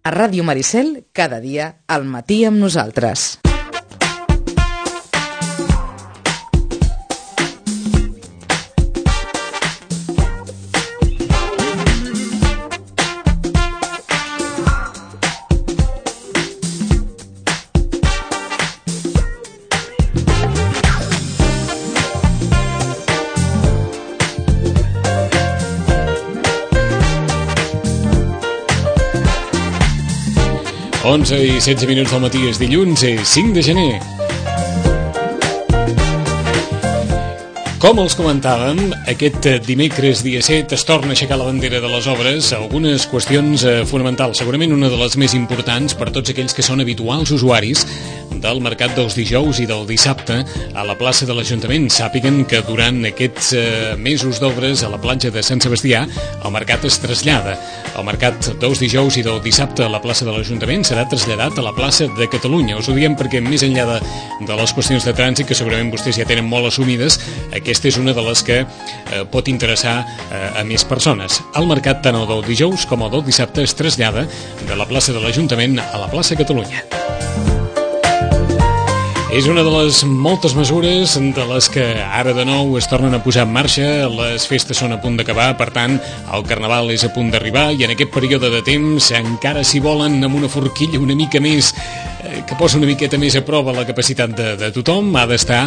A Ràdio Maricel, cada dia al matí amb nosaltres. Onze i 16 minuts del matí, és dilluns, 5 de gener. Com els comentàvem, aquest dimecres dia 7 es torna a aixecar la bandera de les obres, algunes qüestions fonamentals, segurament una de les més importants per tots aquells que són habituals usuaris del mercat dels dijous i del dissabte a la plaça de l'Ajuntament. Sàpiguen que durant aquests mesos d'obres a la platja de Sant Sebastià el mercat es trasllada. El mercat dels dijous i del dissabte a la plaça de l'Ajuntament serà traslladat a la plaça de Catalunya. Us ho diem perquè més enllà de les qüestions de trànsit, que segurament vostès ja tenen molt assumides, aquesta és una de les que pot interessar a més persones. El mercat tant el del dijous com el del dissabte es trasllada de la plaça de l'Ajuntament a la plaça Catalunya. És una de les moltes mesures de les que ara de nou es tornen a posar en marxa. Les festes són a punt d'acabar, per tant, el Carnaval és a punt d'arribar i en aquest període de temps, encara si volen amb una forquilla una mica més, que posa una miqueta més a prova la capacitat de tothom, ha d'estar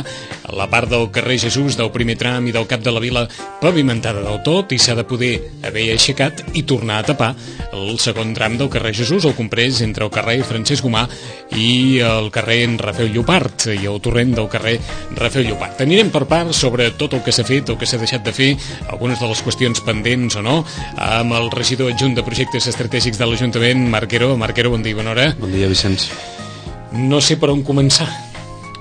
la part del carrer Jesús, del primer tram i del Cap de la Vila pavimentada del tot i s'ha de poder haver aixecat i tornar a tapar el segon tram del carrer Jesús, el comprès entre el carrer Francesc Gomà i el carrer Rafel Llopart i el torrent del carrer Rafel Llopart. Anirem per part sobre tot el que s'ha fet, el que s'ha deixat de fer, algunes de les qüestions pendents o no, amb el regidor adjunt de projectes estratègics de l'Ajuntament, Marc Hero. Marc Hero, bon dia, bona hora. Bon dia, Vicenç. No sé per on començar,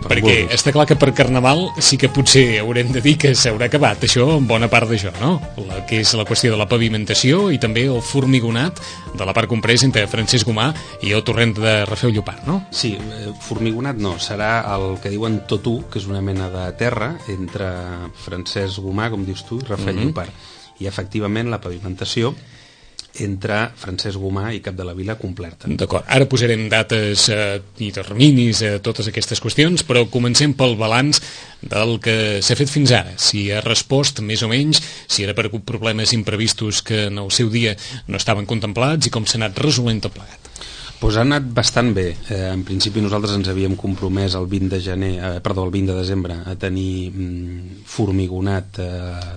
perquè està clar que per Carnaval sí que potser haurem de dir que s'haurà acabat això, en bona part d'això, no? Que és la qüestió de la pavimentació i també el formigonat de la part comprès entre Francesc Gomà i el torrent de Rafel Llopart, no? Sí, formigonat no, serà el que diuen tot-u, que és una mena de terra entre Francesc Gomà, com dius tu, i Rafel Llopart. I efectivament la pavimentació entre Francesc Gomà i Cap de la Vila completa. D'acord, ara posarem dates i terminis a totes aquestes qüestions, però comencem pel balanç del que s'ha fet fins ara, si ha respost més o menys, si era per problemes imprevistos que en el seu dia no estaven contemplats i com s'ha anat resolent tot plegat. Pues ha anat bastant bé. En principi nosaltres ens havíem compromès el 20 de desembre a tenir formigonat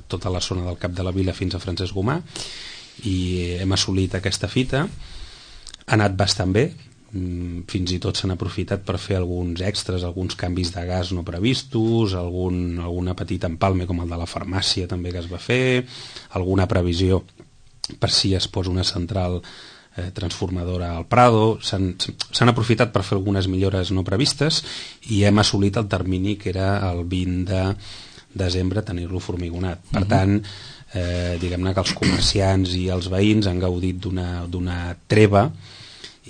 tota la zona del Cap de la Vila fins a Francesc Gomà i hem assolit aquesta fita. Ha anat bastant bé, fins i tot s'han aprofitat per fer alguns extras, alguns canvis de gas no previstos, alguna petita empalme com el de la farmàcia també que es va fer, alguna previsió per si es posa una central transformadora al Prado. S'han aprofitat per fer algunes millores no previstes i hem assolit el termini que era el 20 de desembre tenir-lo formigonat. Per tant, diguem-ne que els comerciants i els veïns han gaudit d'una treva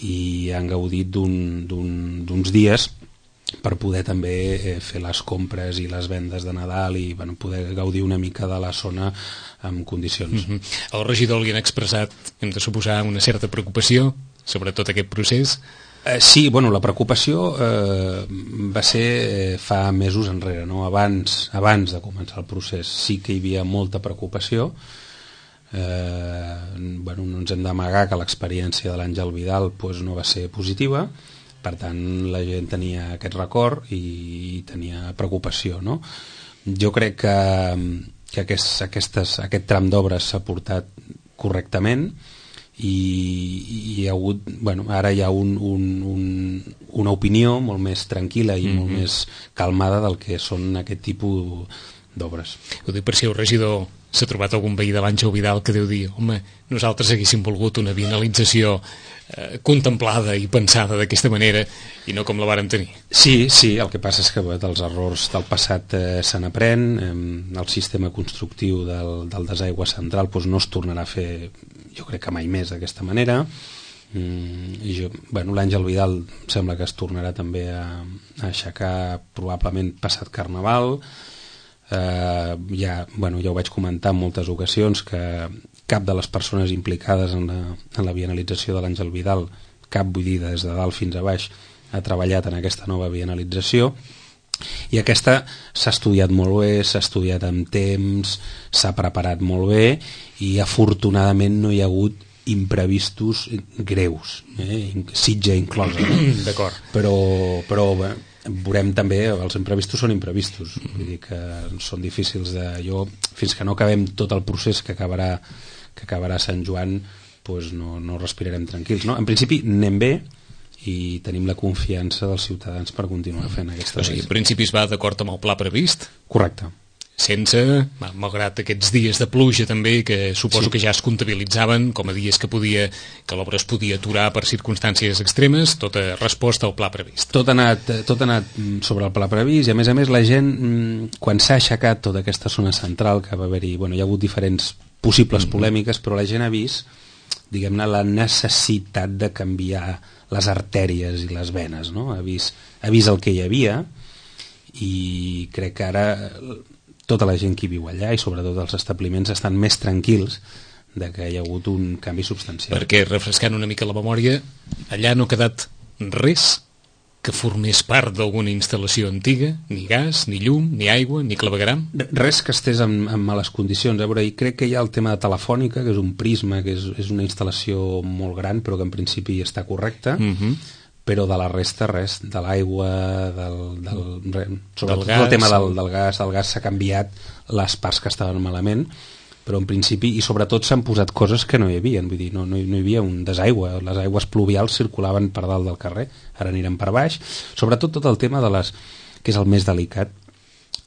i han gaudit d'uns dies per poder també fer les compres i les vendes de Nadal i poder gaudir una mica de la zona en condicions. El regidor li han expressat, hem de suposar, una certa preocupació sobre tot aquest procés. Sí, la preocupació va ser fa mesos enrere, no? Abans de començar el procés sí que hi havia molta preocupació. No ens hem d'amagar que l'experiència de l'Àngel Vidal no va ser positiva, per tant la gent tenia aquest record i tenia preocupació, no? Jo crec que aquest tram d'obres s'ha portat correctament i hi ha hagut, ara hi ha una opinió molt més tranquil·la i molt més calmada del que són aquest tipus d'obres. Ho dic per si el regidor s'ha trobat algun veí de l'Àngel Vidal que deu dir, home, nosaltres haguéssim volgut una vianalització contemplada i pensada d'aquesta manera i no com la vàrem tenir. Sí, el que passa és que dels errors del passat se n'aprèn. El sistema constructiu del desaigua central no es tornarà a fer, jo crec que mai més d'aquesta manera. L'Àngel Vidal sembla que es tornarà també a aixecar probablement passat Carnaval. Ja ho vaig comentar en moltes ocasions que cap de les persones implicades en la vianalització de l'Àngel Vidal cap, vull dir, des de dalt fins a baix, ha treballat en aquesta nova bienalització, i aquesta s'ha estudiat molt bé, s'ha estudiat amb temps, s'ha preparat molt bé, i afortunadament no hi ha hagut imprevistos greus, Sitges inclosa, D'acord. però bé, veurem també, els imprevistos són imprevistos, vull dir que són difícils fins que no acabem tot el procés que acabarà Sant Joan, doncs no respirarem tranquils, no? En principi anem bé i tenim la confiança dels ciutadans per continuar fent aquesta... O sigui, en principi es va d'acord amb el pla previst? Correcte. Sense, malgrat aquests dies de pluja també, que suposo que ja es comptabilitzaven com a dies que l'obra es podia aturar per circumstàncies extremes, tota resposta al pla previst. Tot ha anat sobre el pla previst, i a més la gent, quan s'ha aixecat tota aquesta zona central, que va haver-hi, hi ha hagut diferents possibles polèmiques, però la gent ha vist, diguem-ne, la necessitat de canviar les artèries i les venes, no? Ha vist el que hi havia, i crec que ara tota la gent que viu allà, i sobretot els establiments, estan més tranquils de que hi ha hagut un canvi substancial. Perquè, refrescant una mica la memòria, allà no ha quedat res que formés part d'alguna instal·lació antiga, ni gas, ni llum, ni aigua, ni clavegueram? Res que estés en males condicions. A veure, i crec que hi ha el tema de Telefònica, que és un prisma, que és una instal·lació molt gran, però que en principi està correcta, però de la resta res, de l'aigua, sobretot el tema del gas s'ha canviat les parts que estaven malament, però en principi, i sobretot s'han posat coses que no hi havia, vull dir, no hi havia un desaigua, les aigües pluvials circulaven per dalt del carrer, ara anirem per baix, sobretot tot el tema que és el més delicat,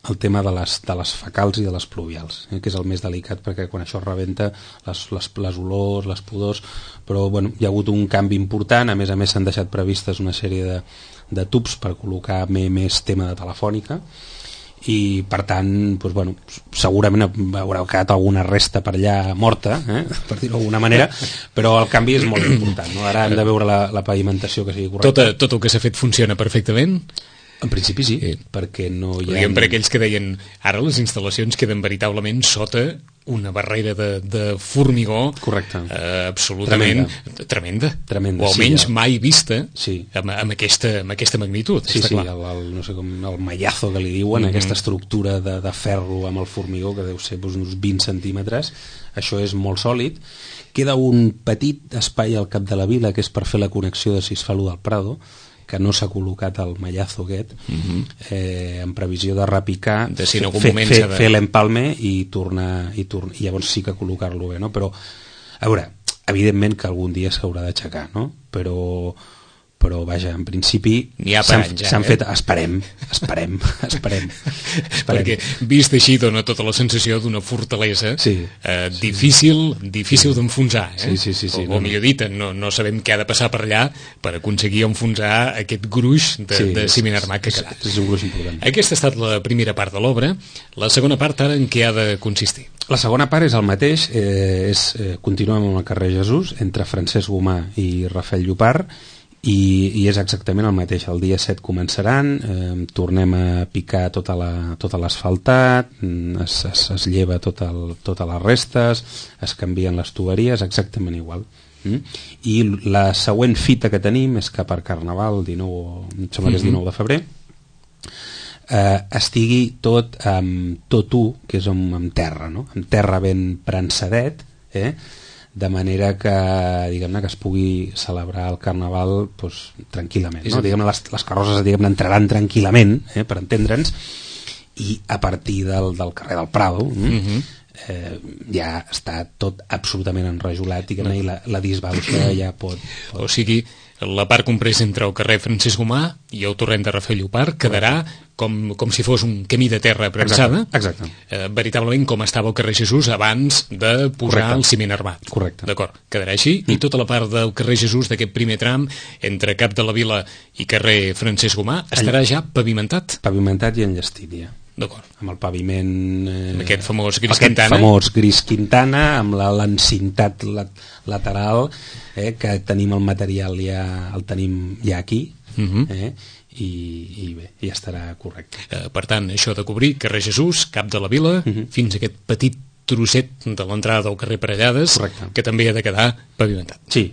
el tema de les fecals i de les pluvials, que és el més delicat, perquè quan això rebenta les olors, les pudors, però bueno, hi ha hagut un canvi important, a més s'han deixat previstes una sèrie de tubs per col·locar més tema de Telefònica, i per tant doncs, bueno, segurament haurà quedat alguna resta per allà morta, per dir-ho d'alguna manera, però el canvi és molt important, no? Ara hem de veure la pavimentació que sigui correcta. Tot el que s'ha fet funciona perfectament? En principi sí, perquè no hi ha... Diguem per aquells que deien ara les instal·lacions queden veritablement sota una barrera de formigó. Correcte. Absolutament tremenda. O almenys mai vista amb aquesta magnitud. Sí, no sé com el mallazo que li diuen, aquesta estructura de ferro amb el formigó que deu ser uns 20 centímetres, això és molt sòlid. Queda un petit espai al cap de la vila que és per fer la connexió de Cisfalú del Prado, que no s'ha col·locat el mallazo aquest, en previsió de repicar, fer l'empalme i tornar, i llavors sí que col·locar-lo bé, no? Però, a veure, evidentment que algun dia s'haurà d'aixecar, no? Però vaja, en principi s'han fet... Esperem. Perquè vist així dona tota la sensació d'una fortalesa difícil d'enfonsar. O millor dit, no sabem què ha de passar per allà per aconseguir enfonsar aquest gruix de ciment armat que ha quedat. És un gruix important. Aquesta ha estat la primera part de l'obra. La segona part ara en què ha de consistir? La segona part és el mateix, continuem amb el carrer Jesús, entre Francesc Gomà i Rafael Llopart, i és exactament el mateix. El dia 7 començaran, tornem a picar tot l'asfaltat, es lleva totes les restes, es canvien les tuberies, exactament igual. I la següent fita que tenim és que per Carnaval, em sembla que és 19 de febrer, estigui tot que és amb terra, no? Amb terra ben prensadet, de manera que, diguem-ne, que es pugui celebrar el Carnaval tranquil·lament, no? Diguem-ne, les carrosses entraran tranquil·lament, per entendre'ns, i a partir del carrer del Prado ja està tot absolutament enrajolat, i la disbauxa ja pot... O sigui, la part compresa entre el carrer Francesc Gomà i el torrent de Rafael Llopart quedarà com si fos un camí de terra prensada. Exacte. Veritablement com estava el carrer Jesús abans de posar el ciment armat. Correcte. D'acord, quedarà així. I tota la part del carrer Jesús d'aquest primer tram entre Cap de la Vila i carrer Francesc Gomà estarà ja pavimentat? Pavimentat i enllestit ja. D'acord. Amb el paviment... Amb aquest famós gris Quintana. Aquest famós gris Quintana, amb l'encintat lateral, que tenim el material el tenim ja aquí, i bé, ja estarà correcte. Per tant, això de cobrir carrer Jesús, Cap de la Vila, fins a aquest petit trosset de l'entrada del carrer Parellades, que també ha de quedar pavimentat. Sí.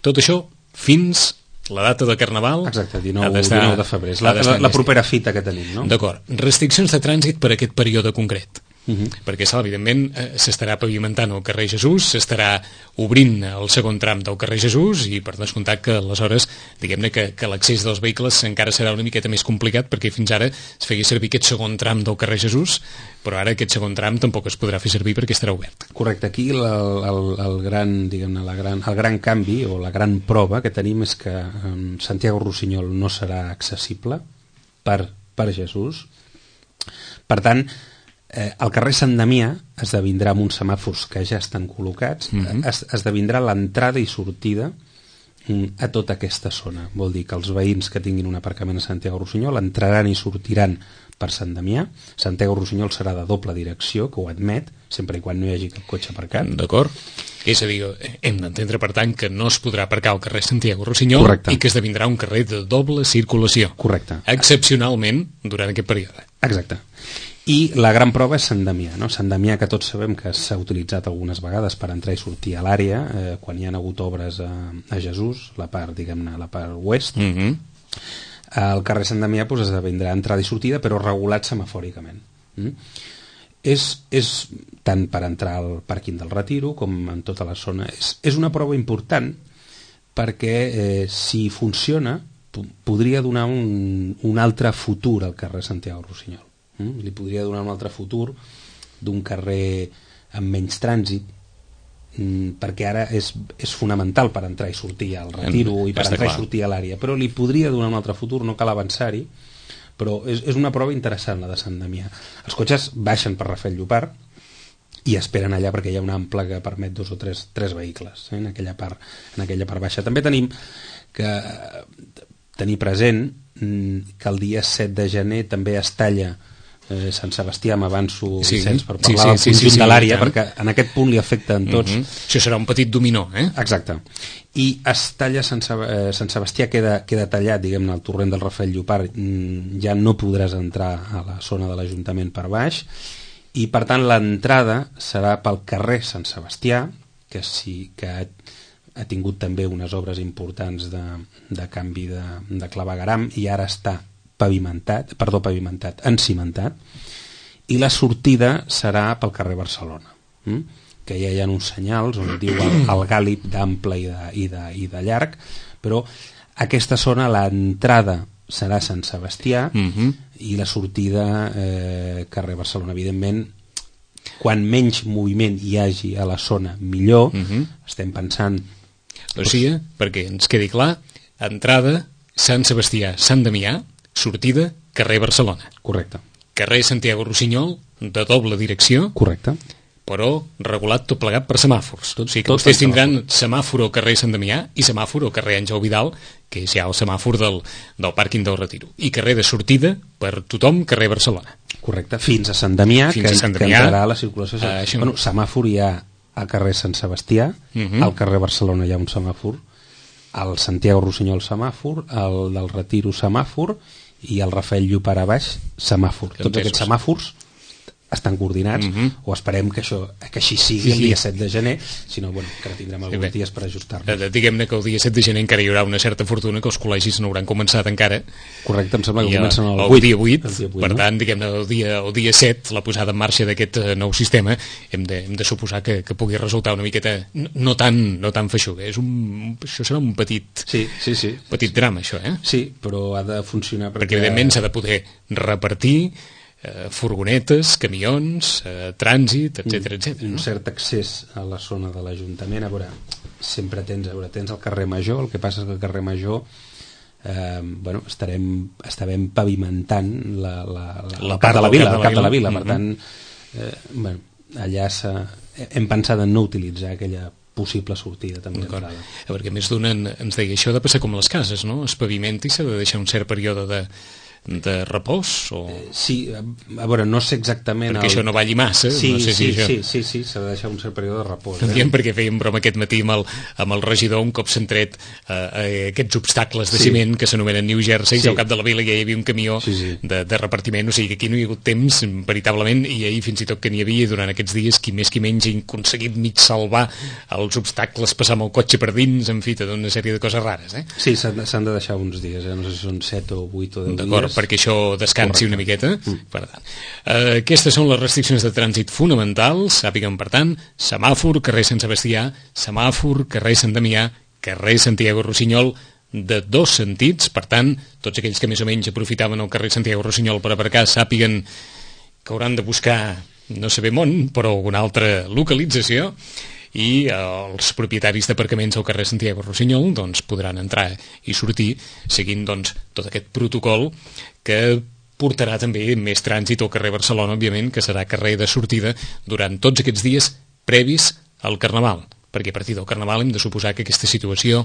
Tot això fins la data de Carnaval... Exacte, 19 de febrer. És la propera fita que tenim, no? D'acord. Restriccions de trànsit per a aquest període concret. Perquè, evidentment, s'estarà pavimentant el carrer Jesús, s'estarà obrint el segon tram del carrer Jesús i per descomptat que aleshores, diguem-ne que l'accés dels vehicles encara serà una miqueta més complicat perquè fins ara es feia servir aquest segon tram del carrer Jesús, però ara aquest segon tram tampoc es podrà fer servir perquè estarà obert. Correcte, aquí el gran canvi o la gran prova que tenim és que Santiago Rossinyol no serà accessible per Jesús. Per tant, el carrer Sant Damià esdevindrà amb uns semàfors que ja estan col·locats, esdevindrà l'entrada i sortida a tota aquesta zona. Vol dir que els veïns que tinguin un aparcament a Santiago Rossinyol entraran i sortiran per Sant Damià. Santiago Rossinyol serà de doble direcció, que ho admet, sempre i quan no hi hagi cap cotxe aparcat. D'acord. És a dir, hem d'entendre, per tant, que no es podrà aparcar al carrer Santiago Rossinyol. Correcte. I que esdevindrà un carrer de doble circulació. Correcte. Excepcionalment durant aquest període. Exacte. I la gran prova és Sant Damià, no? Sant Damià, que tots sabem que s'ha utilitzat algunes vegades per entrar i sortir a l'àrea, quan hi ha hagut obres a Jesús, la part, diguem-ne, la part oest. El carrer Sant Damià esdevindrà entrada i sortida, però regulat semafòricament. És tant per entrar al pàrquing del Retiro com en tota la zona. És una prova important perquè si funciona podria donar un altre futur al carrer Santiago Rossinyol. Li podria donar un altre futur d'un carrer amb menys trànsit, perquè ara és fonamental per entrar i sortir al Retiro i per entrar i sortir a l'àrea, però li podria donar un altre futur, no cal avançar-hi, però és una prova interessant la de Sant Damià. Els cotxes baixen per Rafael Llopart i esperen allà perquè hi ha un ample que permet 2 o 3 vehicles en aquella part baixa. També tenim que tenir present que el dia 7 de gener també es talla Sant Sebastià, m'avanço, Vicenç, per parlar del conjunt de l'àrea, perquè en aquest punt li afecten tots. Això serà un petit dominó, Exacte. I es talla Sant Sebastià, queda tallat, diguem-ne, el torrent del Rafael Llopart, ja no podràs entrar a la zona de l'Ajuntament per baix, i per tant l'entrada serà pel carrer Sant Sebastià, que sí que ha tingut també unes obres importants de canvi de clavegueram i ara està pavimentat, encimentat, i la sortida serà pel carrer Barcelona, que ja hi ha uns senyals on diu el gàlib d'ample i de llarg, però aquesta zona, l'entrada serà Sant Sebastià i la sortida carrer Barcelona. Evidentment, quan menys moviment hi hagi a la zona, millor. Estem pensant... O sigui, perquè ens quedi clar, entrada Sant Sebastià, Sant Damià, sortida, carrer Barcelona. Correcte. Carrer Santiago Rossinyol, de doble direcció. Correcte. Però regulat tot plegat per semàfors. O sigui que vostès tindran semàfor al carrer Sant Damià i semàfor al carrer Àngel Vidal, que és ja el semàfor del pàrquing del Retiro. I carrer de sortida per tothom, carrer Barcelona. Correcte. Fins a Sant Damià, que entrarà a la circulació. Bueno, semàfor hi ha al carrer Sant Sebastià, al carrer Barcelona hi ha un semàfor, al Santiago Rossinyol semàfor, al del Retiro semàfor i el Rafael Llopart a baix semàfor. Tots aquests semàfors estan coordinats, o esperem que així sigui el dia 7 de gener, si no, bueno, que tindrem alguns dies per ajustar-nos. Diguem-ne que el dia 7 de gener encara hi haurà una certa fortuna, que els col·legis no hauran començat encara. Correcte, em sembla que comencen el 8. El dia 8, per tant, diguem-ne, el dia 7, la posada en marxa d'aquest nou sistema, hem de suposar que pugui resultar una miqueta no tan feixuga. Això serà un petit drama, això, Sí, però ha de funcionar perquè evidentment s'ha de poder repartir furgonetes, camions, trànsit, etc. Un cert accés a la zona de l'Ajuntament. A veure, sempre tens el carrer Major, el que passa és que el carrer Major estarem pavimentant la part de la vila, el cap de la vila, per tant allà hem pensat en no utilitzar aquella possible sortida també d'entrada. Perquè més d'un ens deia, això ha de passar com les cases, no? Es pavimenta i s'ha de deixar un cert període de repòs? O... Sí, a veure, no sé exactament... Perquè això no balli massa. Sí, no sé si sí, s'ha de deixar un cert període de repòs. Diem perquè fèiem broma aquest matí amb el regidor un cop s'han tret aquests obstacles de ciment que s'anomenen New Jersey, al cap de la vila ja hi havia un camió de repartiment, o sigui que aquí no hi ha hagut temps, veritablement, i ahir fins i tot que n'hi havia durant aquests dies, qui més qui menys ha aconseguit mig salvar els obstacles, passar amb el cotxe per dins, en fi, tota una sèrie de coses rares. Sí, s'han de deixar uns dies, no sé si són 7 o 8 o 10 dies. D'acord, perquè això descansi una miqueta. Per tant, aquestes són les restriccions de trànsit fonamentals. Sàpiguen, per tant, semàfor, carrer Sant Sebastià, semàfor, carrer Sant Damià, carrer Santiago Rossinyol, de 2 sentits. Per tant, tots aquells que més o menys aprofitaven el carrer Santiago Rossinyol per aparcar sàpiguen que hauran de buscar, no sé ben on, però alguna altra localització, i els propietaris d'aparcaments al carrer Santiago Rossinyol doncs, podran entrar i sortir seguint doncs, tot aquest protocol que portarà també més trànsit al carrer Barcelona, òbviament, que serà carrer de sortida durant tots aquests dies previs al Carnaval, perquè a partir del Carnaval hem de suposar que aquesta situació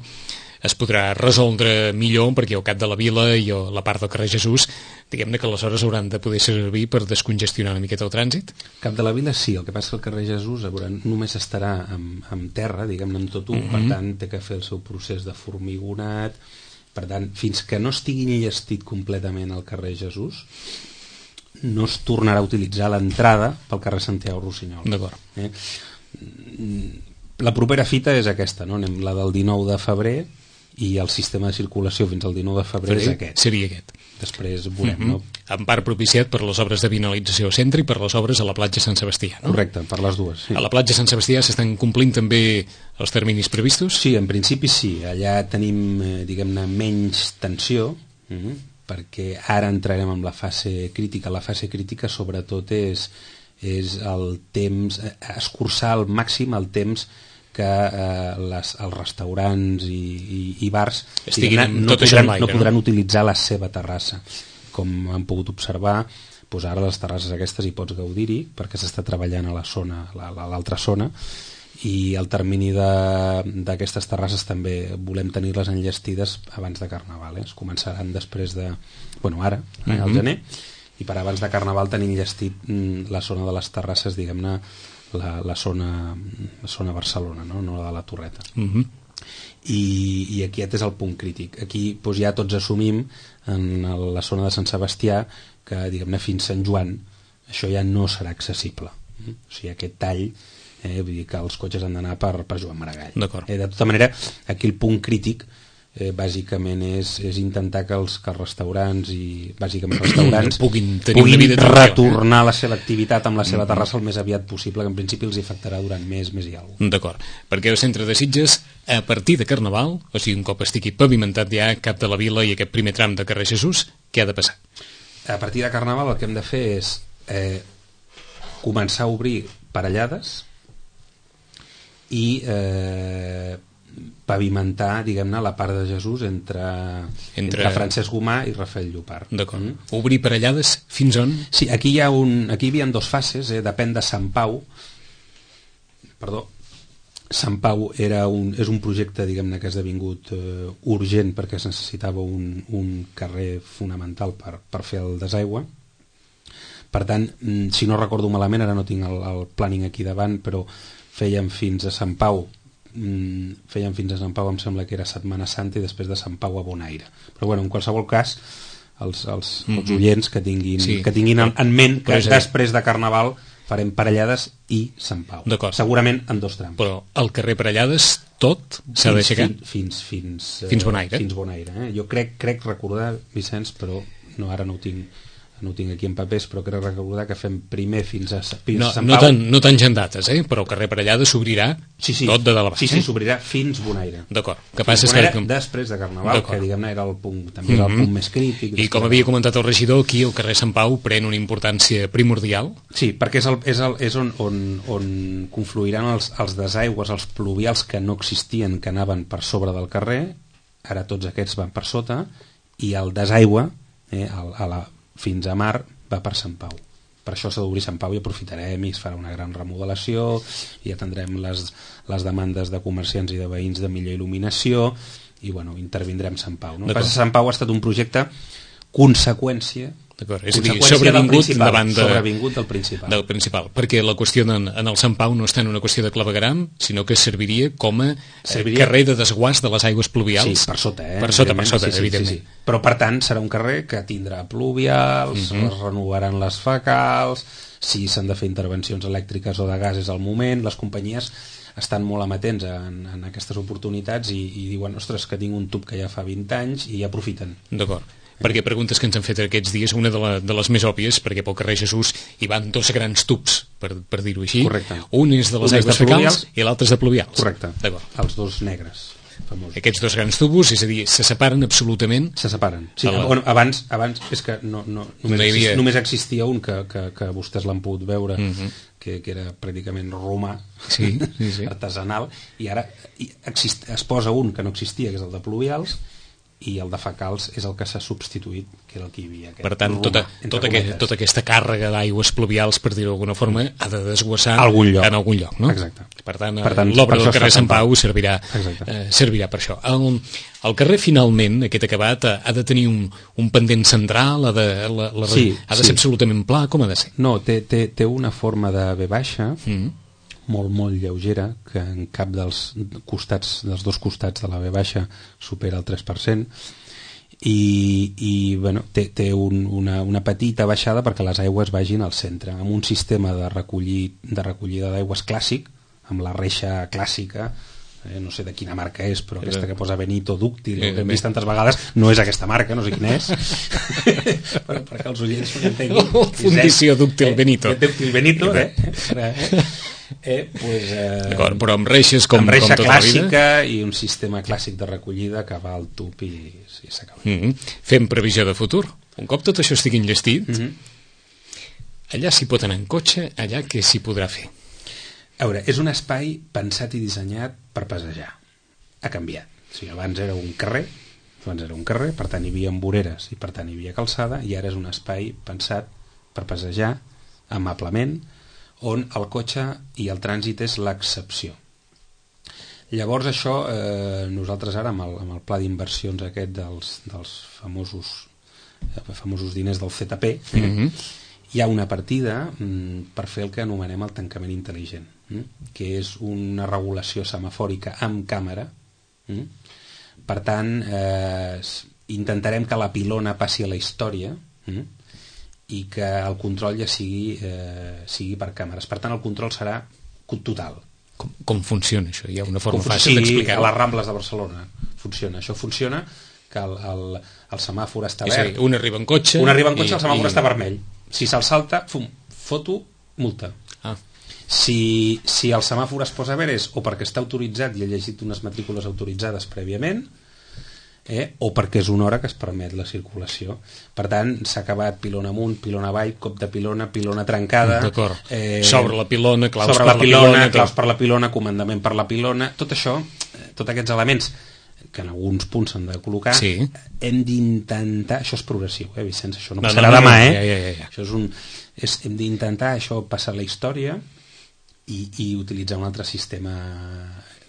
es podrà resoldre millor, perquè al cap de la vila i la part del carrer Jesús, diguem-ne que aleshores hauran de poder servir per descongestionar una miqueta el trànsit. Cap de la vila sí, el que passa que el carrer Jesús només estarà amb terra, diguem-ne amb tot per tant té que fer el seu procés de formigonat, per tant, fins que no estigui enllestit completament el carrer Jesús, no es tornarà a utilitzar l'entrada pel carrer Santiago Rossinyol. D'acord. La propera fita és aquesta, no? Anem la del 19 de febrer, i el sistema de circulació fins al 19 de febrer és aquest. Seria aquest. Després veurem, no? En part propiciat per les obres de vinalització al centre i per les obres a la platja Sant Sebastià, no? Correcte, per les dues. Sí. A la platja Sant Sebastià s'estan complint també els terminis previstos? Sí, en principi sí. Allà tenim, diguem-ne, menys tensió, perquè ara entrarem en la fase crítica. La fase crítica sobretot és el temps, escurçar al màxim el temps que els restaurants i bars no podran utilitzar la seva terrassa. Com han pogut observar, doncs ara les terrasses aquestes hi pots gaudir-hi perquè s'està treballant a l'altra zona, i el termini d'aquestes terrasses també volem tenir-les enllestides abans de Carnaval. Es començaran després de... ara, al gener, i per abans de Carnaval tenir enllestit la zona de les terrasses, diguem-ne, la zona Barcelona, no la de la Torreta. I aquest és el punt crític. Aquí doncs, ja tots assumim en la zona de Sant Sebastià que, diguem-ne, fins Sant Joan això ja no serà accessible. O sigui, aquest tall, vull dir que els cotxes han d'anar per Joan Maragall. De tota manera, aquí el punt crític bàsicament és intentar que els restaurants i bàsicament restaurants puguin retornar la seva activitat amb la seva terrassa el més aviat possible, que en principi els afectarà durant més i alguna cosa. D'acord, perquè el centre de Sitges a partir de Carnaval, o sigui un cop estigui pavimentat ja cap de la vila i aquest primer tram de carrer Jesús, què ha de passar? A partir de Carnaval el que hem de fer és començar a obrir parellades i pavimentar, diguem-ne, la part de Jesús entre Francesc Gomà i Rafael Llopart. D'acord. Obrir parellades fins on? Sí, aquí hi havia 2 fases, depèn de Sant Pau. Sant Pau és un projecte, diguem-ne, que ha esdevingut urgent perquè es necessitava un carrer fonamental per fer el desaigüe. Per tant, si no recordo malament, ara no tinc el planning aquí davant, però fèiem fins a Sant Pau, em sembla que era Setmana Santa, i després de Sant Pau a Bonaire. Però en qualsevol cas, els oients que tinguin en ment que després de Carnaval farem Parellades i Sant Pau. Segurament en 2 trams. Però el carrer Parellades tot s'ha d'aixecar? Fins Bonaire. Fins Bonaire. Jo crec recordar, Vicenç, però ara no ho tinc aquí en papers, però crec recordar que fem primer fins a Sant Pau. No tan gendates, però el carrer Parellades s'obrirà tot de dalt a baix. Sí, s'obrirà fins Bonaire. D'acord. Després de Carnaval, que diguem-ne era el punt, també era el punt més crític. I com havia comentat el regidor, aquí el carrer Sant Pau pren una importància primordial? Sí, perquè és on confluiran els desaigües, els pluvials que no existien, que anaven per sobre del carrer, ara tots aquests van per sota, i el desaigüe fins a mar va per Sant Pau. Per això s'ha d'obrir Sant Pau i aprofitarem i es farà una gran remodelació i atendrem les demandes de comerciants i de veïns de millor il·luminació i intervindrem Sant Pau. El que passa, Sant Pau ha estat un projecte conseqüència. D'acord, és a dir, sobrevingut davant sobrevingut del principal, perquè la qüestió en el Sant Pau no està en una qüestió de clavegueram, sinó que serviria com a carrer de desguàs de les aigües pluvials. Sí, per sota, per sota, evidentment. Sí. Però per tant serà un carrer que tindrà pluvials, es renovaran les fecals, si s'han de fer intervencions elèctriques o de gas és el moment, les companyies estan molt amatents en aquestes oportunitats i diuen, ostres, que tinc un tub que ja fa 20 anys i aprofiten. D'acord. Perquè preguntes que ens han fet aquests dies, una de les més òbvies, perquè pel carrer Jesús hi van dos grans tubs, per dir-ho així. Correcte. Un és de les aigües fecals i l'altre és de pluvials. Correcte, els dos negres famosos. Aquests dos grans tubos, és a dir, se separen absolutament? Se separen, sí. Bueno, abans és que només existia un que vostès l'han pogut veure, que era pràcticament romà, sí. artesanal, i ara es posa un que no existia, que és el de pluvials, i el de fecals és el que s'ha substituït, que era el que hi havia. Per tant, tota aquesta càrrega d'aigües pluvials, per dir-ho d'alguna forma, ha de desguassar en algun lloc, no? Exacte. Per tant l'obra del carrer Sant Pau servirà per això. El carrer, finalment, aquest acabat, ha de tenir un pendent central, ha de ser absolutament pla, com ha de ser? No, té una forma de V baixa, molt, molt lleugera, que en cap dels dos costats de la V baixa supera el 3%, i bueno, té una petita baixada perquè les aigües vagin al centre, amb un sistema de recollida d'aigües clàssic, amb la reixa clàssica, no sé de quina marca és, però aquesta que posa Benito dúctil, que hem vist tantes vegades, no és aquesta marca, no sé quina és, perquè els oients ho entenguin. Fundició dúctil Benito. Dúctil Benito, d'acord, però amb reixes com reixa tota clàssica la vida. I un sistema clàssic de recollida que va al tub i s'acaba. Fem previsió de futur. Un cop tot això estigui enllestit, allà s'hi pot anar en cotxe, allà què s'hi podrà fer? A veure, és un espai pensat i dissenyat per passejar. Ha canviat. O sigui, abans era un carrer, per tant hi havia voreres i per tant hi havia calçada, i ara és un espai pensat per passejar amablement, on el cotxe i el trànsit és l'excepció. Llavors això, nosaltres ara amb el pla d'inversions aquest dels famosos diners del ZP, hi ha una partida per fer el que anomenem el tancament intel·ligent, que és una regulació semafòrica amb càmera. Per tant, intentarem que la pilona passi a la història i que el control ja sigui per càmeres. Per tant, el control serà total. Com funciona això? Hi ha una forma fàcil d'explicar-ho? Sí, a les Rambles de Barcelona funciona. Això funciona que el semàfor està verd. És a dir, un arriba en cotxe... el semàfor està vermell. Si se'l salta, foto, multa. Si el semàfor es posa verd és o perquè està autoritzat i ha llegit unes matrícules autoritzades prèviament, o perquè és una hora que es permet la circulació. Per tant, s'ha acabat pilona amunt, pilona avall, cop de pilona, pilona trencada... D'acord. Sobre la pilona, claus per la pilona... Claus per la pilona, comandament per la pilona... Tot això, tots aquests elements que en alguns punts s'han de col·locar, hem d'intentar... Això és progressiu, Vicenç? Això no passarà demà, Això hem d'intentar això passar la història i utilitzar un altre sistema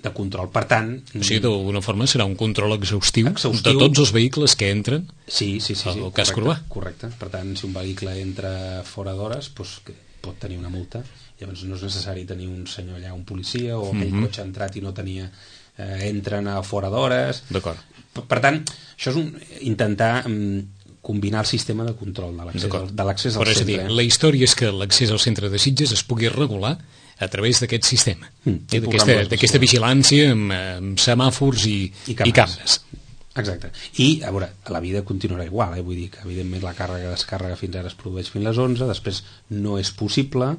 de control. Per tant... O sigui, d'alguna forma serà un control exhaustiu de tots els vehicles que entren al casc urbà. Correcte. Per tant, si un vehicle entra fora d'hores, pot tenir una multa. Llavors no és necessari tenir un senyor allà, un policia, o aquell cotxe ha entrat i no tenia... entren a fora d'hores. D'acord. Per tant, això és intentar combinar el sistema de control de l'accés al centre. És a dir, la història és que l'accés al centre de Sitges es pugui regular a través d'aquest sistema, d'aquesta vigilància amb semàfors i càmeres. Exacte. I, a veure, la vida continuarà igual, vull dir que evidentment la càrrega-descàrrega fins ara es produeix fins les 11, després no és possible,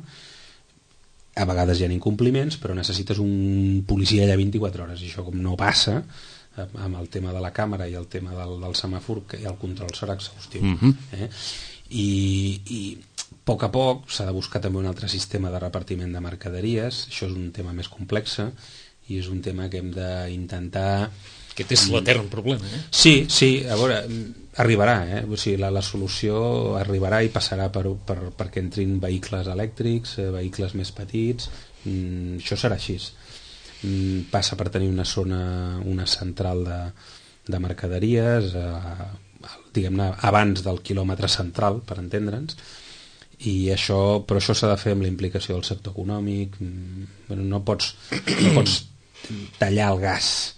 a vegades hi ha incompliments, però necessites un policia allà 24 hores, i això com no passa amb el tema de la càmera i el tema del semàfor, que el control serà exhaustiu. I a poc s'ha de buscar també un altre sistema de repartiment de mercaderies. Això és un tema més complex i és un tema que hem d'intentar... Aquest és l'etern problema, Sí, a veure, arribarà, O sigui, la solució arribarà i passarà perquè entrin vehicles elèctrics, vehicles més petits, això serà així. Passa per tenir una central de mercaderies, diguem-ne, abans del quilòmetre central, per entendre'ns, però això s'ha de fer amb la implicació del sector econòmic. Bueno, no pots tallar el gas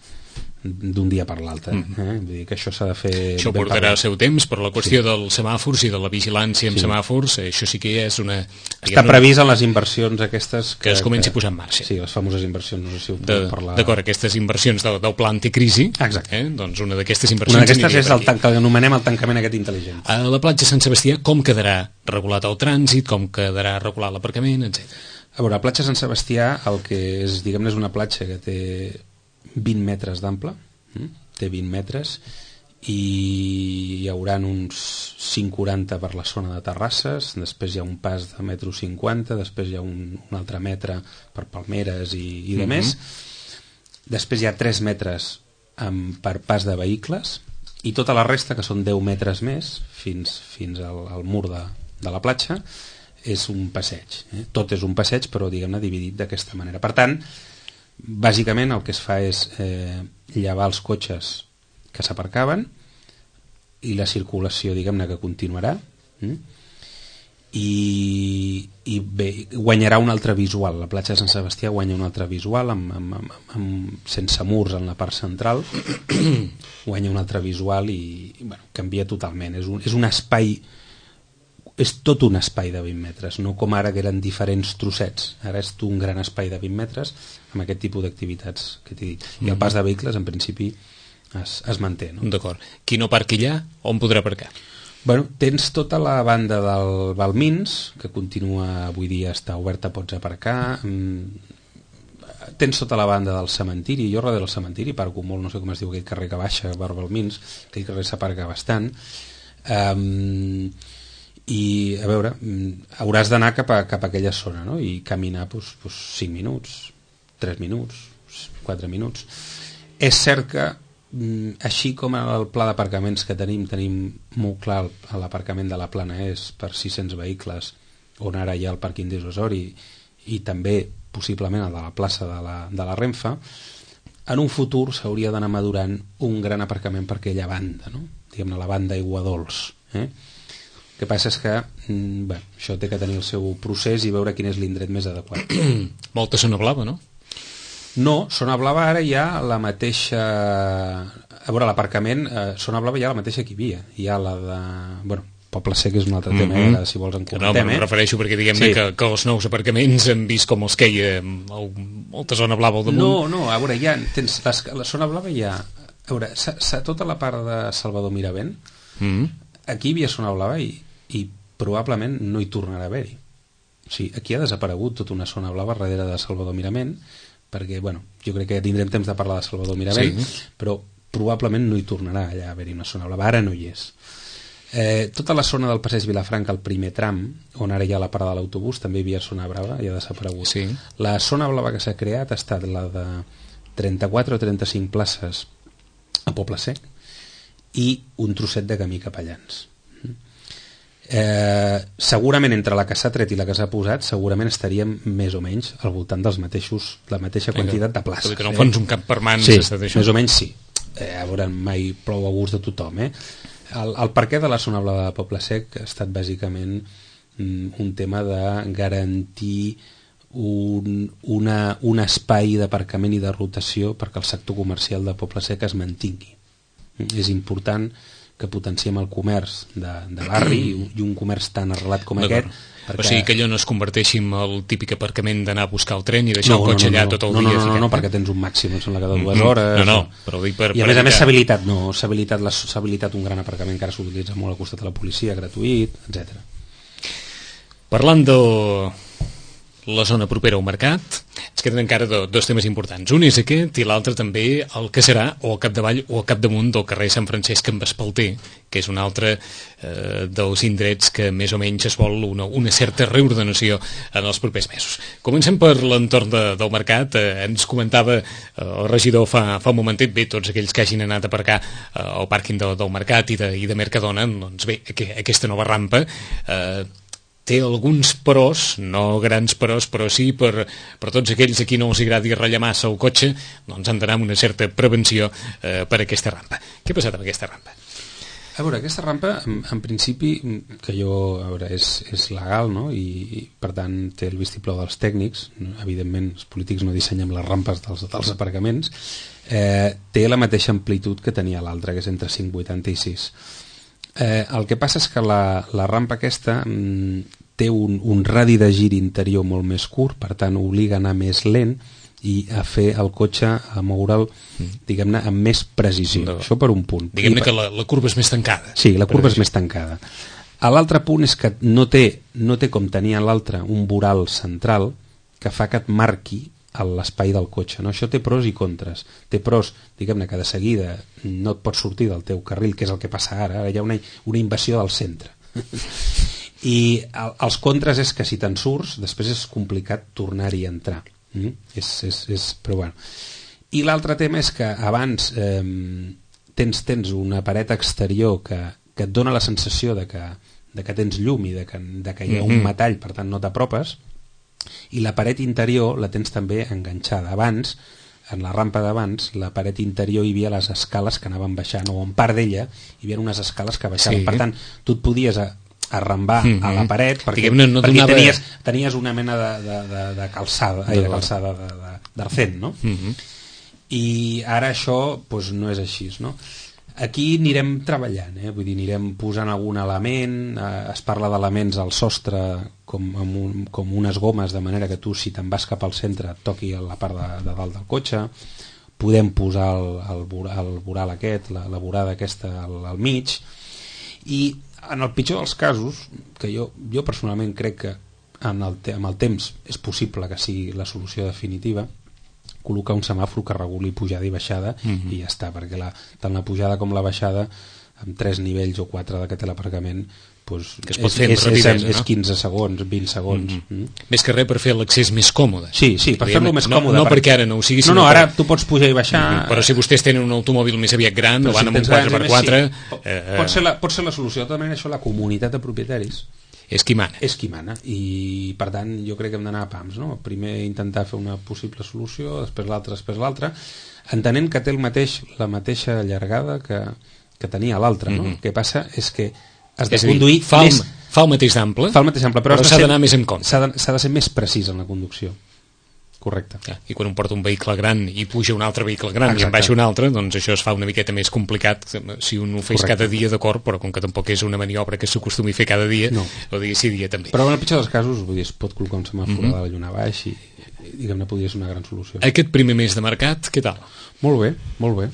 d'un dia per l'altre, Vull dir que això s'ha de fer. Això portarà el seu temps, però la qüestió dels semàfors i de la vigilància amb semàfors, això sí que és una... Està previst en les inversions aquestes que es comenci a posar en marxa. Sí, les famoses inversions, no sé si ho podem parlar. D'acord, aquestes inversions del pla anticrisi. Exacte. Doncs una d'aquestes inversions... Una d'aquestes és el que anomenem el tancament aquest intel·ligent. A la platja Sant Sebastià, com quedarà regulat el trànsit, com quedarà regulat l'aparcament, etc. A veure, la platja Sant Sebastià, el que és, diguem-ne, és una platja que té 20 metres d'ample, té 20 metres, i hi haurà uns 5,40 per la zona de terrasses, després hi ha un pas de 1,50 m, després hi ha un altre metre per palmeres i de més, després hi ha 3 metres per pas de vehicles, i tota la resta, que són 10 metres més, fins al mur de la platja, és un passeig. Tot és un passeig, però diguem-ne dividit d'aquesta manera. Per tant, bàsicament el que es fa és llevar els cotxes que s'aparcaven i la circulació, diguem-ne, que continuarà, i bé, guanyarà un altre visual. La platja de Sant Sebastià guanya un altre visual sense murs en la part central, guanya un altre visual i bueno, canvia totalment. És un espai, és tot un espai de 20 metres, no com ara que eren diferents trossets. Ara és un gran espai de 20 metres amb aquest tipus d'activitats que t'he dit. I el pas de vehicles, en principi, es manté. No? D'acord. Qui no parqui allà, on podrà aparcar? Bueno, tens tota la banda del Balmins, que continua, avui dia està oberta, pots aparcar. Tens tota la banda del cementiri. Jo darrere del cementiri parco molt, no sé com es diu aquell carrer que baixa per Balmins, aquell carrer s'aparca bastant. I a veure, hauràs d'anar cap a aquella zona, no? I caminar 5 minuts, 3 minuts, 4 minuts. És cert que així com el pla d'aparcaments que tenim molt clar l'aparcament de la Plana és per 600 vehicles, on ara hi ha el pàrquing d'Osori i també possiblement el de la plaça de la Renfe, en un futur s'hauria d'anar madurant un gran aparcament per aquella banda, no? Diguem-ne, la banda Aiguadols. El que passa és que això té que tenir el seu procés i veure quin és l'indret més adequat. Molta zona blava, no? No, Zona Blava ara hi ha la mateixa... A veure, l'aparcament, Zona Blava hi ha la mateixa que hi havia. Hi ha la de... Bueno, Poble Sec és un altre tema, si vols en comentem. No, em refereixo perquè diguem-ne que els nous aparcaments hem vist com els que hi ha molta Zona Blava al damunt. No, a veure, la Zona Blava hi ha... A veure, tota la part de Salvador Miravent, aquí hi havia Zona Blava i probablement no hi tornarà a haver-hi. O sigui, aquí ha desaparegut tota una Zona Blava darrere de Salvador Miravent, perquè, bueno, jo crec que tindrem temps de parlar de Salvador Miravent, però probablement no hi tornarà allà a haver-hi una zona blava, ara no hi és. Tota la zona del passeig Vilafranca, el primer tram, on ara hi ha la parada de l'autobús, també hi havia zona blava i ha desaparegut. Sí. La zona blava que s'ha creat ha estat la de 34 o 35 places a Poble Sec i un trosset de camí cap a Llans. Segurament entre la que s'ha tret i la que s'ha posat segurament estaríem més o menys al voltant la mateixa quantitat de places. Que no fons un camp per mans. Sí, més o menys sí. A veure, mai plou a gust de tothom. El perquè de la zona blava de Poble Sec ha estat bàsicament un tema de garantir un espai d'aparcament i de rotació perquè el sector comercial de Poble Sec es mantingui. És important que potenciem el comerç de barri i un comerç tan arrelat com aquest. O sigui que allò no es converteixi en el típic aparcament d'anar a buscar el tren i deixar el cotxe allà tot el dia. No, perquè tens un màxim, em sembla que de 2 hores. Però dic per... I a més s'ha habilitat un gran aparcament que ara s'utilitza molt al costat de la policia, gratuït, etc. Parlant de la zona propera al mercat, ens queden encara dos temes importants. Un és aquest i l'altre també el que serà o al capdavall o al capdamunt del carrer Sant Francesc en Vespalter, que és un altre dels indrets que més o menys es vol una certa reordenació en els propers mesos. Comencem per l'entorn del mercat. Ens comentava el regidor fa un momentet, bé, tots aquells que hagin anat a aparcar al pàrquing del mercat i de Mercadona, doncs bé, aquesta nova rampa té alguns pros, no grans pros, però sí per tots aquells a qui no els agradi ratllar massa el cotxe, doncs han d'anar amb una certa prevenció per aquesta rampa. Què ha passat amb aquesta rampa? A veure, aquesta rampa, en principi, que jo, a veure, és legal, no? I per tant té el vistiplau dels tècnics, evidentment els polítics no dissenyen les rampes dels aparcaments, té la mateixa amplitud que tenia l'altra, que és entre 5,80 i 6. El que passa és que la rampa aquesta té un radi de gir interior molt més curt, per tant obliga a anar més lent i a fer el cotxe, a moure'l, diguem-ne, amb més precisió. Això per un punt. Diguem-ne que la curva és més tancada. Sí, la curva és més tancada. L'altre punt és que no té com tenia l'altre un voral central que fa que et marqui l'espai del cotxe, no? Això té pros i contres. Té pros, diguem-ne, que de seguida no et pots sortir del teu carril, que és el que passa ara hi ha una invasió del centre. I els contres és que si te'n surts, després és complicat tornar-hi a entrar. Però bueno. I l'altre tema és que abans tens una paret exterior que et dona la sensació de que tens llum i de que hi ha un metall, per tant no t'apropes, i la paret interior la tens també enganxada. Abans, en la rampa d'abans, la paret interior hi havia les escales que anaven baixant, o en part d'ella hi havia unes escales que baixaven. Per tant, tu et podies arrambar a la paret perquè tenies una mena de calçada, d'arcent, no? I ara això no és així, no? Aquí anirem treballant, vull dir, anirem posant algun element, es parla d'elements al sostre com unes gomes, de manera que tu, si te'n vas cap al centre, et toqui la part de dalt del cotxe. Podem posar el voral aquest, la vorada aquesta al mig, i en el pitjor dels casos, que jo personalment crec que amb el temps és possible que sigui la solució definitiva, col·locar un semàfor que reguli pujada i baixada i ja està, perquè tant la pujada com la baixada amb 3 nivells o 4 que té l'aparcament que es pot fer amb rapidesa, és 15 segons, 20 segons. Més que res per fer l'accés més còmode. Sí, per fer-lo més còmode. No perquè ara no ho sigui, sinó ara tu pots pujar i baixar. Però si vostès tenen un automòbil més aviat gran o van amb un 4x4... Pot ser la solució. De tota manera, això, la comunitat de propietaris és qui mana. És qui mana, i per tant jo crec que hem d'anar a pams, no? Primer intentar fer una possible solució, després l'altra, entenent que té la mateixa llargada que tenia l'altra, no? El que passa és que has de conduir més... Fa el mateix d'ample, però s'ha d'anar més en compte. S'ha de ser més precís en la conducció. Correcte. I quan un porta un vehicle gran i puja un altre vehicle gran i en baixa un altre, doncs això es fa una miqueta més complicat si un ho fes cada dia, d'acord, però com que tampoc és una maniobra que s'acostumi a fer cada dia, o dia sí, dia també. Però en el pitjor dels casos, vull dir, es pot col·locar un semàfor a la lluna baix i diguem-ne podria ser una gran solució. Aquest primer mes de mercat, què tal? Molt bé, molt bé.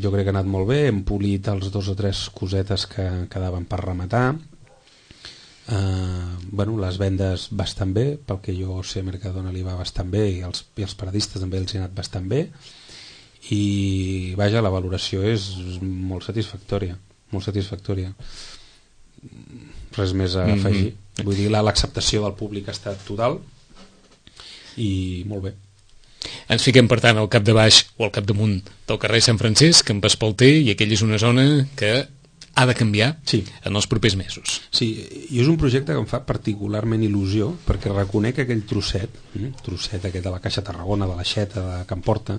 Jo crec que ha anat molt bé, hem polit els 2 o 3 cosetes que quedaven per rematar. Les vendes bastant bé, pel que jo sé, Mercadona li va bastant bé i els paradistes també els hi ha anat bastant bé, i vaja, la valoració és molt satisfactòria, res més a afegir. Vull dir, l'acceptació del públic ha estat total i molt bé. Ens fiquem, per tant, al capdabaix o al capdamunt del carrer Sant Francesc, en Espalter, i aquella és una zona que ha de canviar en els propers mesos. Sí, i és un projecte que em fa particularment il·lusió, perquè reconec que aquell trosset aquest de la Caixa Tarragona, de l'Aixeta, de Can Porta,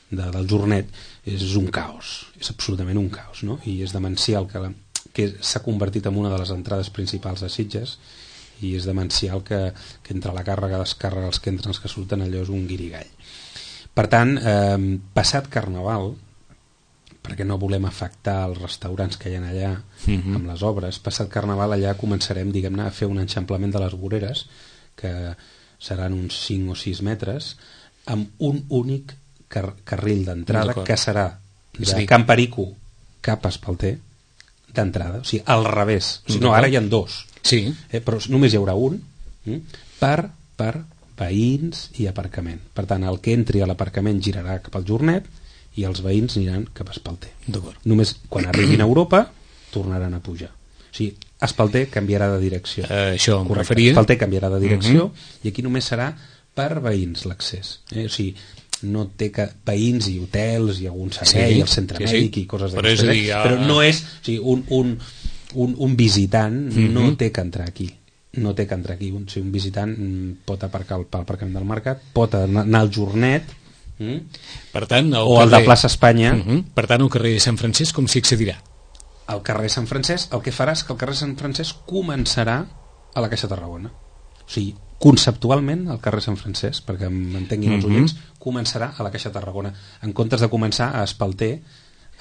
del Jornet, és un caos, és absolutament un caos, no? I és demencial que s'ha convertit en una de les entrades principals de Sitges, i és demencial que entre la càrrega, descàrrega, els que entren, els que surten, allò és un guirigall. Per tant, passat Carnaval, perquè no volem afectar els restaurants que hi ha allà amb les obres, passat Carnaval allà començarem, diguem-ne, a fer un enxamplament de les voreres, que seran uns 5 o 6 metres, amb un únic carril d'entrada, que serà de Can Perico cap a Espalter, d'entrada, o sigui, al revés. O sigui, no, ara hi ha 2, però només hi haurà un per veïns i aparcament. Per tant, el que entri a l'aparcament girarà cap al Jornet i els veïns aniran cap a Espalter. Només quan arribin a Europa tornaran a pujar. O sigui, Espalter canviarà de direcció. Això em referia. Espalter canviarà de direcció i aquí només serà per veïns l'accés. O sigui, no té veïns i hotels i algun servei, el centre mèdic i coses d'aquestes. Però no és... O sigui, un visitant no té que entrar aquí. No té que entrar aquí. O sigui, un visitant pot aparcar pel aparcament del mercat, pot anar al Jornet, per tant, o el de Plaça Espanya. Per tant, al carrer Sant Francesc com s'hi accedirà? al carrer Sant Francesc, el que farà és que el carrer Sant Francesc començarà a la Caixa Tarragona. O sigui, conceptualment el carrer Sant Francesc, perquè m'entenguin els oients, començarà a la Caixa Tarragona, en comptes de començar a Espalter.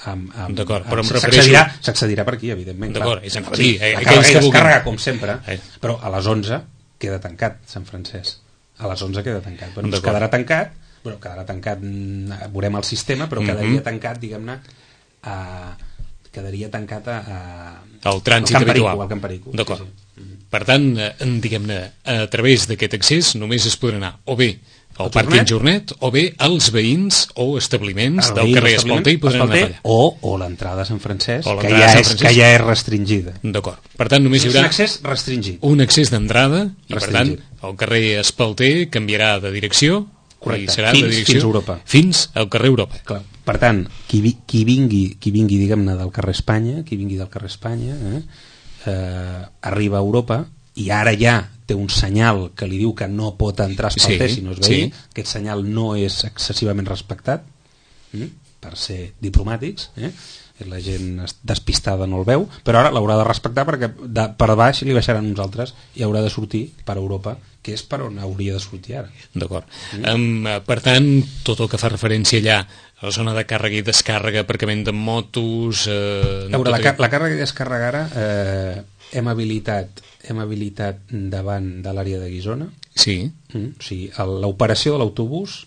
D'acord, però em refereixo... S'accedirà per aquí, evidentment. D'acord, és a dir, la càrrega i descàrrega, com sempre, però a les 11 queda tancat Sant Francesc. A les 11 queda tancat. Bueno, quedarà tancat, veurem el sistema, però quedaria tancat, diguem-ne, quedaria tancat al trànsit habitual. Al Camparico. D'acord. Sí. Per tant, diguem-ne, a través d'aquest accés només es podrà anar o bé al pàrquing Jornet o bé als veïns o establiments del carrer Espalter i podran anar allà. O l'entrada a Sant Francesc, que ja és restringida. D'acord. Per tant, només hi haurà un accés restringit. Un accés d'entrada i, per tant, el carrer Espalter canviarà de direcció. Correcte. I serà de direcció fins a Europa. Fins al carrer Europa. Clar. Per tant, qui vingui diguem-ne, del carrer Espanya, arriba a Europa i ara ja té un senyal que li diu que no pot entrar a Espalter si no és veí. Aquest senyal no és excessivament respectat, per ser diplomàtics, la gent despistada no el veu, però ara l'haurà de respectar perquè per baix li baixaran uns altres i haurà de sortir per Europa, que és per on hauria de sortir ara. D'acord. Per tant, tot el que fa referència allà a la zona de càrrega i descàrrega, aparcament de motos... la càrrega i descàrrega ara hem habilitat davant de l'àrea de Guissona. Sí. O sigui, l'operació de l'autobús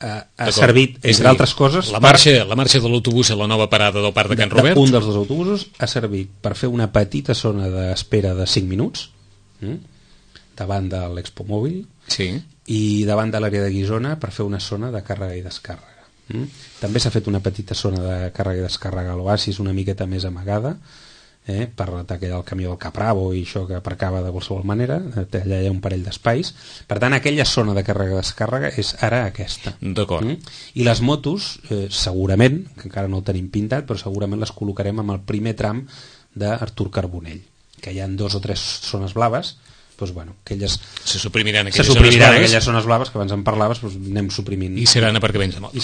ha servit, entre altres coses... La marxa de l'autobús a la nova parada del Parc de Can Robert. Un dels dos autobusos ha servit per fer una petita zona d'espera de 5 minuts davant de l'Expo Mòbil i davant de l'àrea de Guissona per fer una zona de càrrega i descàrrega. També s'ha fet una petita zona de càrrega i descàrrega a l'Oasis, una miqueta més amagada, per atacar el camió del Capravo i això que aparcava de qualsevol manera. Allà hi ha un parell d'espais. Per tant, aquella zona de càrrega i descàrrega és ara aquesta. D'acord. I les motos, segurament, que encara no ho tenim pintat, però segurament les col·locarem amb el primer tram d'Artur Carbonell, que hi ha 2 o 3 zones blaves. Doncs, bueno, aquelles se suprimiran aquelles zones blaves que abans en parlaves, doncs anem suprimint. I seran aparcaments de motos.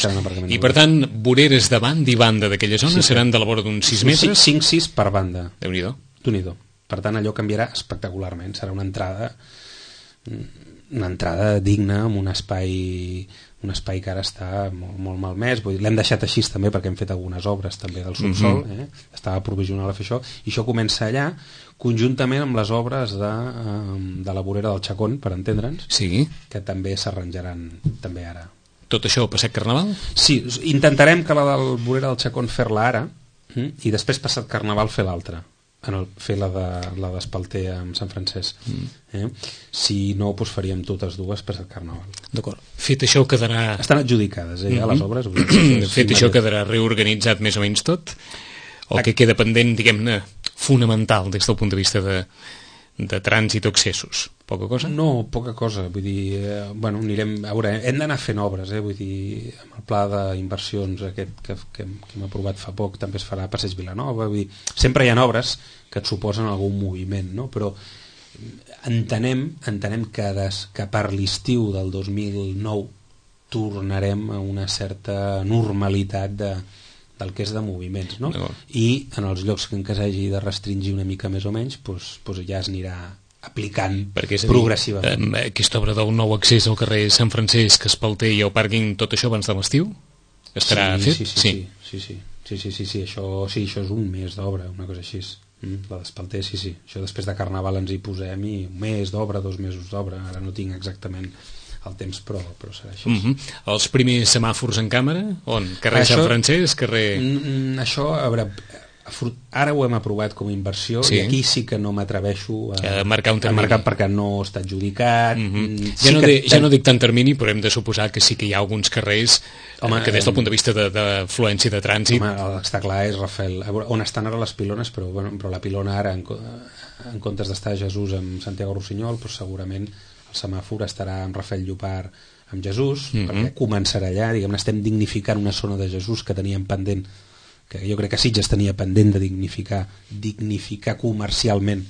I per tant, voreres de banda i banda d'aquella zona seran de la vora d'uns 6 metres? 5-6 per banda. Déu-n'hi-do. Per tant, allò canviarà espectacularment. Serà una entrada digna, amb un espai que ara està molt, molt malmès. L'hem deixat així també perquè hem fet algunes obres també del subsol, estava provisional a fer això, i això comença allà conjuntament amb les obres de la vorera del Chacón, per entendre'ns, que també s'arranjaran també ara. Tot això passat Carnaval? Sí, intentarem que la del vorera del Chacón fer-la ara i després passat Carnaval fer l'altra, fer la d'Espalter amb Sant Francesc. Si no, doncs faríem totes dues passat Carnaval. D'acord. Fet això quedarà... Estan adjudicades, ja les obres. Fet això quedarà reorganitzat més o menys tot? O que queda pendent, diguem-ne, fonamental des del punt de vista de trànsit o accessos? Poca cosa? No, poca cosa. Vull dir, anirem a veure, hem d'anar fent obres, vull dir, amb el pla d'inversions aquest que hem aprovat fa poc també es farà a Passeig Vilanova. Vull dir, sempre hi ha obres que et suposen algun moviment, no? Però entenem que per l'estiu del 2009 tornarem a una certa normalitat del que és de moviments, no? I en els llocs en què s'hagi de restringir una mica més o menys, doncs ja es anirà aplicant progressivament. Aquesta obra del nou accés al carrer Sant Francesc, Espalter i el pàrquing, tot això abans de l'estiu? Estarà fet? Sí, això és un mes d'obra, una cosa així. La d'Espalter, sí. Això després de Carnaval ens hi posem i un mes d'obra, 2 mesos d'obra, ara no tinc exactament el temps, però serà així. Els primers semàfors en càmera? On? Carrer Sant Francesc? Això ara ho hem aprovat com a inversió i aquí sí que no m'atreveixo a marcar un termini perquè no està adjudicat. Ja no dic tant termini, però hem de suposar que sí que hi ha alguns carrers que des del punt de vista d'afluència de trànsit... Està clar, és Rafael, on estan ara les pilones, però la pilona ara en comptes d'estar Jesús amb Santiago Rossinyol, segurament el semàfor estarà amb Rafael Llopart amb Jesús, perquè començarà allà, diguem-ne, estem dignificant una zona de Jesús que teníem pendent, que jo crec que Sitges tenia pendent de dignificar comercialment,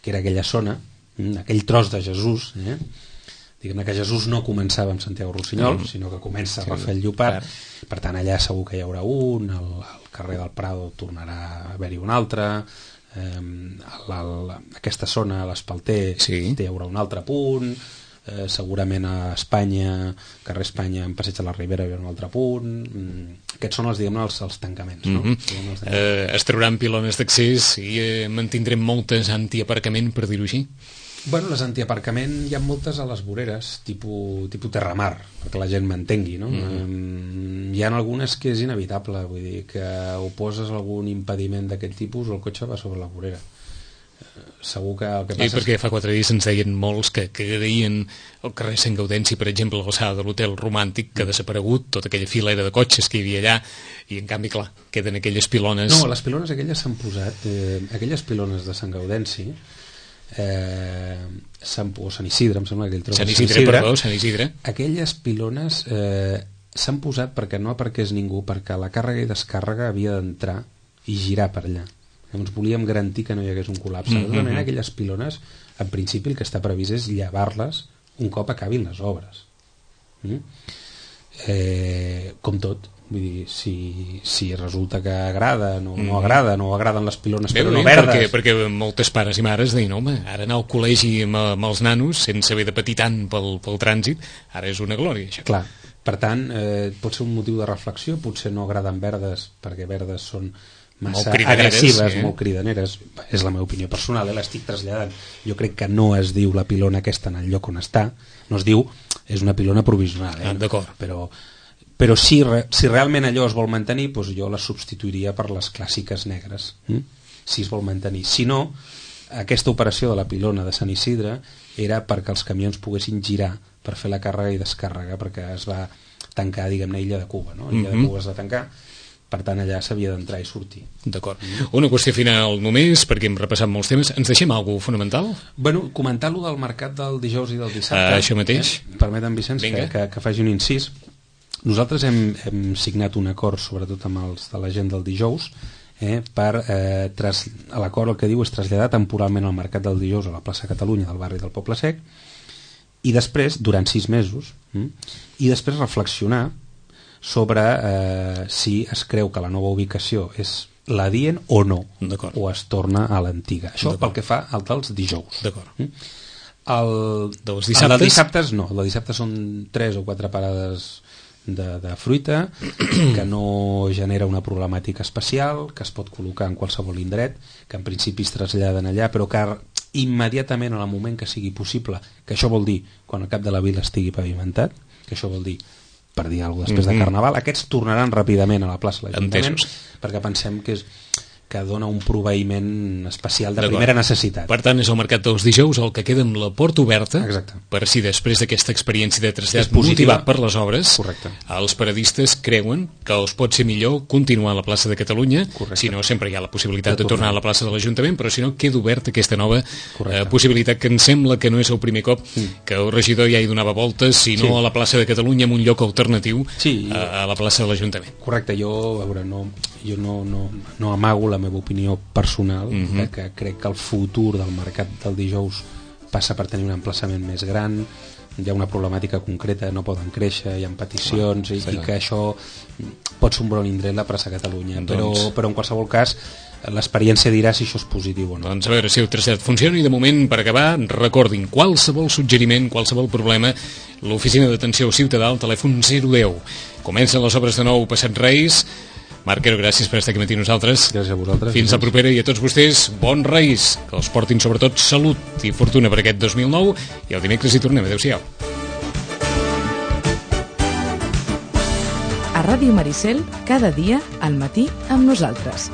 que era aquella zona, aquell tros de Jesús, Diguem-ne que Jesús no començava amb Santiago Rossinyol, sinó que comença a Rafael Llopart. Per tant, allà segur que hi haurà un, al carrer del Prado tornarà a haver-hi un altre, aquesta zona, a l'Espalter, hi haurà un altre punt, segurament a Espanya, carrer Espanya, en Passeig de la Ribera hi haurà un altre punt. Aquests són els tancaments, no? Es trauran pilones d'accés i mantindrem moltes antiaparcament, per dir-ho així? Bueno, les antiaparcament hi ha moltes a les voreres, tipus Terramar, perquè la gent m'entengui, no? Hi ha algunes que és inevitable, vull dir, que o poses algun impediment d'aquest tipus o el cotxe va sobre la vorera. Segur que el que passa... perquè fa 4 dies ens deien molts que agraïen el carrer Sant Gaudenci, per exemple, a l'alçada de l'Hotel Romàntic, que ha desaparegut tota aquella filera de cotxes que hi havia allà, i en canvi, clar, queden aquelles pilones... No, les pilones aquelles s'han posat, aquelles pilones de Sant Gaudenci, o Sant Isidre, em sembla que Sant Isidre. Aquelles pilones s'han posat perquè no aparqués ningú, perquè la càrrega i descàrrega havia d'entrar i girar per allà. Llavors volíem garantir que no hi hagués un col·lapse. De tota manera, aquelles pilones, en principi el que està previst és llevar-les un cop acabin les obres. Com tot, vull dir, si resulta que agrada, no agraden les pilones, però no verdes. Perquè moltes pares i mares deien, home, ara anar al col·legi amb els nanos sense haver de patir tant pel trànsit, ara és una glòria, això. Clar, per tant, pot ser un motiu de reflexió, potser no agraden verdes, perquè verdes són massa agressives, molt cridaneres, és la meva opinió personal, l'estic traslladant. Jo crec que no es diu la pilona aquesta en el lloc on està, no es diu, és una pilona provisional, d'acord. Però si realment allò es vol mantenir, doncs jo la substituiria per les clàssiques negres, si es vol mantenir. Si no, aquesta operació de la pilona de Sant Isidre era perquè els camions poguessin girar per fer la càrrega i descàrrega, perquè es va tancar, diguem-ne, Illa de Cuba, no? Illa de Cuba es va tancar, per tant allà s'havia d'entrar i sortir. D'acord. Una qüestió final només, perquè hem repassat molts temes. Ens deixem alguna cosa fonamental? Bueno, comentar-lo del mercat del dijous i del dissabte. Això mateix. Permetem, Vicenç, que faci un incís. Nosaltres hem signat un acord, sobretot amb els de la gent del dijous, l'acord el que diu és traslladar temporalment el mercat del dijous a la plaça Catalunya del barri del Poble Sec, i després, durant 6 mesos, i després reflexionar sobre si es creu que la nova ubicació és l'adient o no, o es torna a l'antiga. Això pel que fa al dels dijous. El dels dissabtes no, el de dissabtes són 3 o 4 parades de fruita, que no genera una problemàtica especial, que es pot col·locar en qualsevol indret, que en principi es traslladen allà, però que immediatament, en el moment que sigui possible, que això vol dir quan el cap de la vila estigui pavimentat, que això vol dir, per dir alguna cosa, després de Carnaval, aquests tornaran ràpidament a la plaça de l'Ajuntament, perquè pensem que dona un proveïment especial de primera necessitat. Per tant, és el mercat dels dijous el que queda amb la porta oberta. Exacte. Per si després d'aquesta experiència de trasllat motivat per les obres, els paradistes creuen que els pot ser millor continuar a la plaça de Catalunya. Si no, sempre hi ha la possibilitat de tornar a la plaça de l'Ajuntament, però si no, queda oberta aquesta nova possibilitat, que em sembla que no és el primer cop que el regidor ja hi donava voltes, sinó a la plaça de Catalunya en un lloc alternatiu a la plaça de l'Ajuntament. Correcte, jo no amago la meva opinió personal, que crec que el futur del mercat del dijous passa per tenir un emplaçament més gran, hi ha una problemàtica concreta, no poden créixer, hi ha peticions, i que això pot ser un bon indret la plaça Catalunya, però en qualsevol cas l'experiència dirà si això és positiu o no. Doncs a veure si el trasllat funciona, i de moment, per acabar, recordin, qualsevol suggeriment, qualsevol problema, l'oficina d'atenció ciutadà al telèfon 010. Comencen les obres de nou passat Reis. Marc, gràcies per estar aquí matí nosaltres. Gràcies a vosaltres. Fins la propera, i a tots vostès, bons Reis, que els portin sobretot salut i fortuna per aquest 2009, i el dimecres hi tornem. Adéu-siau. A Ràdio Maricel, cada dia al matí amb nosaltres.